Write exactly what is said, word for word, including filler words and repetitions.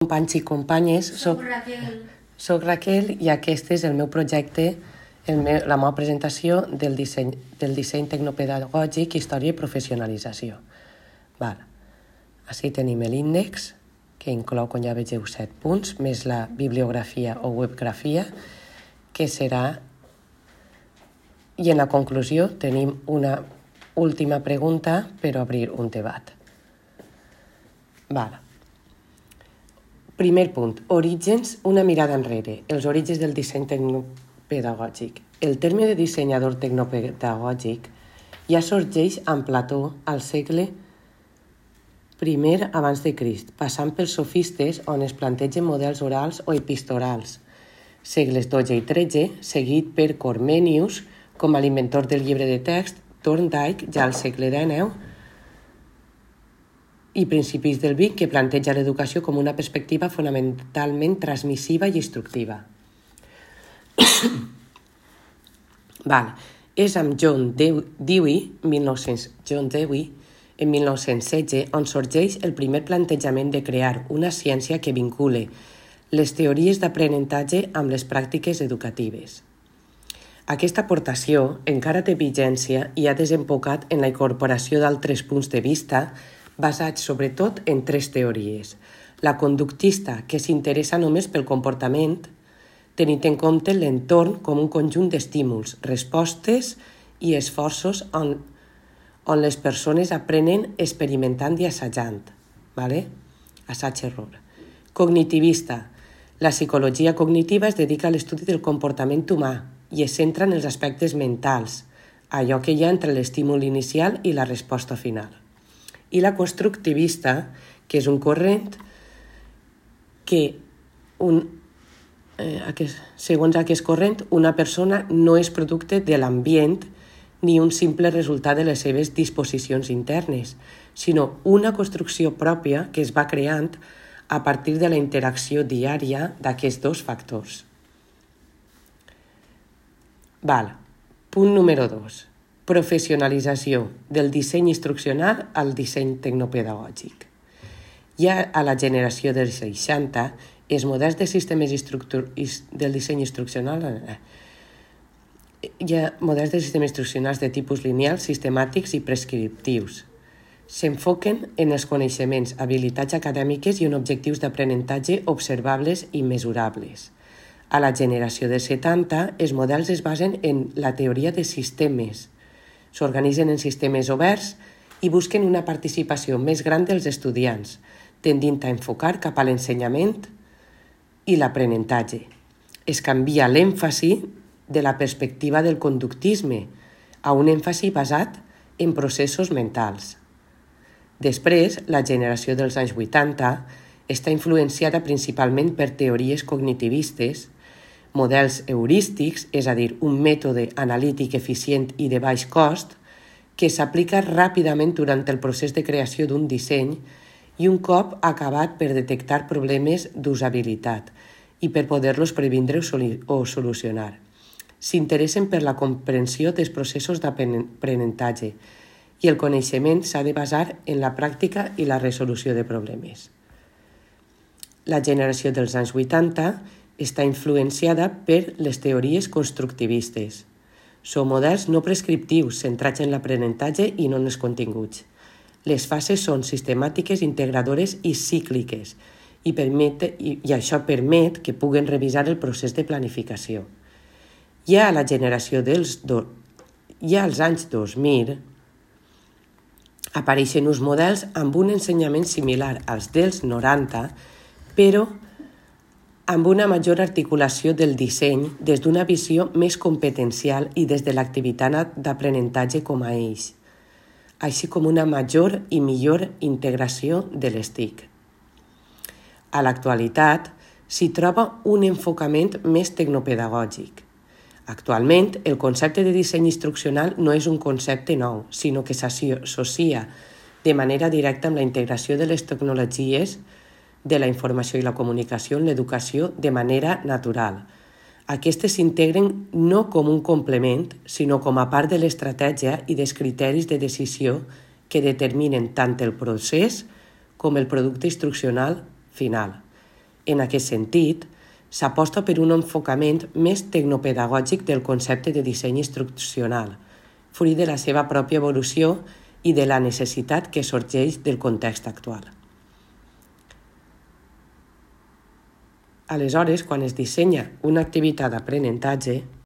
companys i companyes. Soc Raquel. Soc Raquel i aquest és el meu projecte, el meu, la meva presentació del disseny, del disseny tecnopedagògic, història i professionalització. Val. Així tenim l'índex, que inclou, com ja vegeu, set punts, més la bibliografia o webgrafia, que serà... I en la conclusió tenim una última pregunta per obrir un debat. Val. Primer punt, orígens, una mirada enrere, els orígens del disseny tecnopedagògic. El terme de dissenyador tecnopedagògic ja sorgeix amb Plató al segle primer abans de Crist, passant pels sofistes on es plantegen models orals o epistolars, segles dotze i tretze, seguit per Comenius com a l'inventor del llibre de text, Thorndike ja al segle dinou, i principis del vint, que planteja l'educació com una perspectiva fonamentalment transmissiva i instructiva. Val. És amb John Dewey, mil nou-cents John Dewey, en mil nou-cents setze, on sorgeix el primer plantejament de crear una ciència que vincule les teories d'aprenentatge amb les pràctiques educatives. Aquesta aportació encara té vigència i ha desembocat en la incorporació d'altres punts de vista basats sobretot en tres teories. La conductista, que s'interessa només pel comportament, tenint en compte l'entorn com un conjunt d'estímuls, respostes i esforços on, on les persones aprenen experimentant i assajant. Vale? Assaig-error. Cognitivista. La psicologia cognitiva es dedica a l'estudi del comportament humà i es centra en els aspectes mentals, allò que hi ha entre l'estímul inicial i la resposta final. I la constructivista, que és un corrent que, un, eh, aquest, segons aquest corrent, una persona no és producte de l'ambient ni un simple resultat de les seves disposicions internes, sinó una construcció pròpia que es va creant a partir de la interacció diària d'aquests dos factors. Val. Punt número dos. Professionalització del disseny instruccional al disseny tecnopedagògic. Ja a la generació dels seixanta, els models de sistemes del disseny instruccional eh, hi ha models de sistemes instruccionals de tipus lineal, sistemàtics i prescriptius. S'enfoquen en els coneixements, habilitats acadèmiques i en objectius d'aprenentatge observables i mesurables. A la generació dels setanta, els models es basen en la teoria de sistemes, s'organitzen en sistemes oberts i busquen una participació més gran dels estudiants, tendint a enfocar cap a l'ensenyament i l'aprenentatge. Es canvia l'èmfasi de la perspectiva del conductisme a un èmfasi basat en processos mentals. Després, la generació dels anys vuitanta està influenciada principalment per teories cognitivistes, models heurístics, és a dir, un mètode analític eficient i de baix cost, que s'aplica ràpidament durant el procés de creació d'un disseny i un cop acabat per detectar problemes d'usabilitat i per poder-los previndre o solucionar. S'interessen per la comprensió dels processos d'aprenentatge i el coneixement s'ha de basar en la pràctica i la resolució de problemes. La generació dels anys vuitanta està influenciada per les teories constructivistes. Són models no prescriptius centrats en l'aprenentatge i no en els continguts. Les fases són sistemàtiques, integradores i cícliques i, permet, i, i això permet que puguen revisar el procés de planificació. Ja a la generació dels do, ja als anys dos mil apareixen uns models amb un ensenyament similar als dels noranta, però amb una major articulació del disseny des d'una visió més competencial i des de l'activitat d'aprenentatge com a eix, així com una major i millor integració de les T I C. A l'actualitat s'hi troba un enfocament més tecnopedagògic. Actualment, el concepte de disseny instruccional no és un concepte nou, sinó que s'associa de manera directa amb la integració de les tecnologies de la informació i la comunicació en l'educació de manera natural. Aquestes s'integren no com un complement, sinó com a part de l'estratègia i dels criteris de decisió que determinen tant el procés com el producte instruccional final. En aquest sentit, s'aposta per un enfocament més tecnopedagògic del concepte de disseny instruccional, fruit de la seva pròpia evolució i de la necessitat que sorgeix del context actual. Aleshores, quan es dissenya una activitat d'aprenentatge,